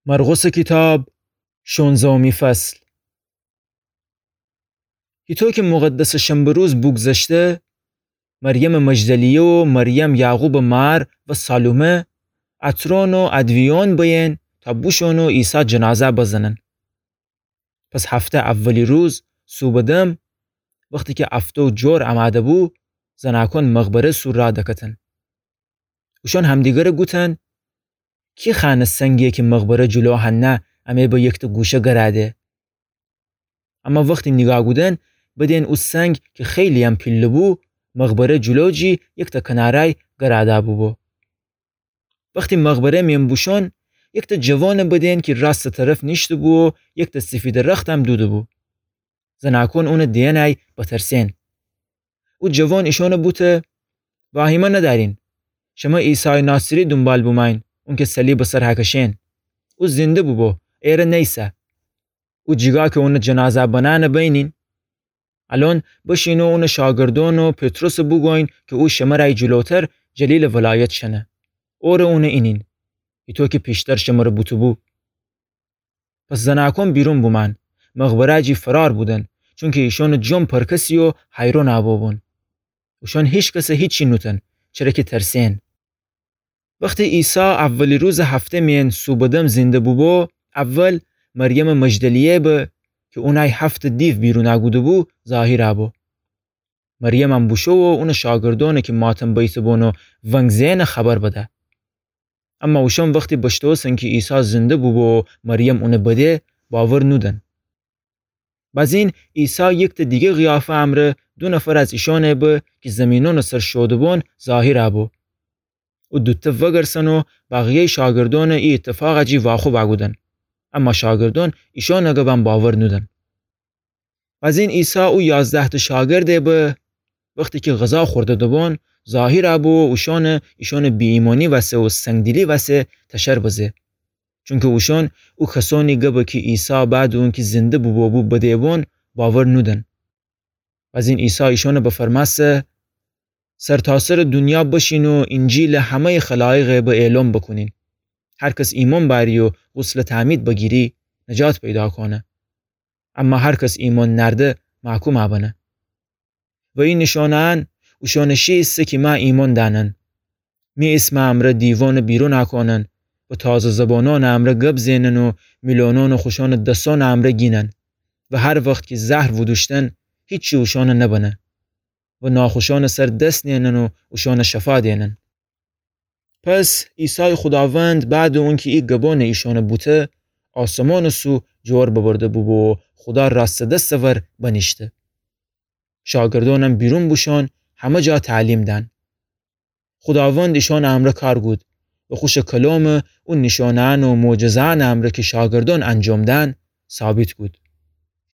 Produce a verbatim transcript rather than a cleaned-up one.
مرقسٚ کیتاب، شونزه‌می فصل. هیطو کی مقدسٚ شنبه روز بوگذشته، مریمٚ مجدلیه و مریم یعقوبٚ مار و سالومه عطرون و ادویه‌یون بیین تا بوشون و عیسی جنازه بزنن. پس هفته اولی روز صوبٚ دم، وختی کی افتو جور امده بو، زناکون مقبره سو را دکتن. اوشون همدیگره گوتن: کی خأنه سنگیی کی مقبره جلو هنه امه به یکته گوشه گراده؟ اما وختی نیگاه کودن، بدین او سنگ کی خیلی‌یم پیله بو، مقبره جلو جی یکته کنارای گراده بوبو. وختی مقبره میأن بوشون، یکته جوانه بدین کی راستٚ طرف نیشته بو و یکته سیفیدٚ رختم دوده بو. زناکون اونه دیئنأی بترسین. او جوان ایشانه بوته: واهیمه ندأرین. شمه عیسایٚ ناصری دونبال بومأیین، اونکی صلیبٚ سر هکشین. او زنده بوبو، ایره نیسه. او جیگا کی اونٚ جنازه بنأنه بینین. الأن بشین و اونٚ شاگردأن و پطرسه بوگوین کی او شمرأی جلوتر جلیلٚ ولایت شنه. اوره اونه اینین، هیطو کی پیشتر شمره بوته‌بو. پس زناکون بیرون بومأن، مقبره جی فرار بودن، چونکی ایشانٚ جمع پرکسی و حیرون بوبون. اوشون هیکسه هیچی نوتن، چره کی ترسین. وختی عیسی اولی روزٚ هفته میأن صوبٚ دم زنده بوبو، اول مریمٚ مجدلیه به کی اونأی هفته دیو بیرون کوده‌بو، ظاهر بو. مریمم بوشو و اونٚ شاگردأنه کی ماتم بیته‌بون و ونگ زئنه خبر بده. اما اوشون وختی بشتوسن کی عیسی زنده بوبو و مریم اونه بده، باور نودن. بزین عیسی یکته دیگه قیافه امرأ دو نفر از ایشانه به کی زیمینونٚ سر شوده‌بون ظاهر بو. او دوته وگرسن و بقیه‌یٚ شاگردأنه ای ایتفاق جی واخوب کودن. اما شاگردأن ایشانٚ گبم باور نودن. بزین عیسی او یازده‌تأ شاگرده به، وختی کی غذا خورده‌دوبون، ظاهر بو و اوشانه ایشانٚ بی‌ایمأنی وسه و سنگدلی وسه تشر بزه. چونکی اوشون او کسأنی گبه کی عیسی بعدٚ اونکی زنده بوبو بو بده‌بون، باور نودن. بزین عیسی ایشانه بفرمأسه: سرتاسرٚ دونیا بشین و اینجیل همه‌یٚ خلایقه به اعلام بوکونین. هر کس ایمأن بأری و غسلٚ تعمید بگیری، نجات پیدا کونه. اما هر کس ایمأن نأرده، محکوم بنه. و ای نیشانه‌یأن اوشانٚ شی ایسه کی مه ایمأن دأنن. می ایسمٚ امرأ دیوأنه بیرون کونن و تازه زبانأنٚ امرأ گب زئنن و میلونأنه خوشأنٚ دسأنٚ امرأ گینن و هر وخت کی زهر وودوشتن، هیچی اوشانه نبنه و ناخوشأنٚ سر دس نیأنن و اوشانه شفا دئنن. پس عیسایٚ خوداوند بعدٚ اونکی ای گبأنه ایشانه بوته، آسمانٚ سو جور ببرده بوبو و خودا راستٚ دستٚ ور بنیشته. شاگردأنم بیرون بوشون، همه جا تعلیم دأن. خوداوند ایشانٚ امرأ کار کود و خوشٚ کلامٚ او نیشانه‌یأن و معجزه‌یأنٚ امرأ کی شاگردأن انجام دأن، ثابت کود.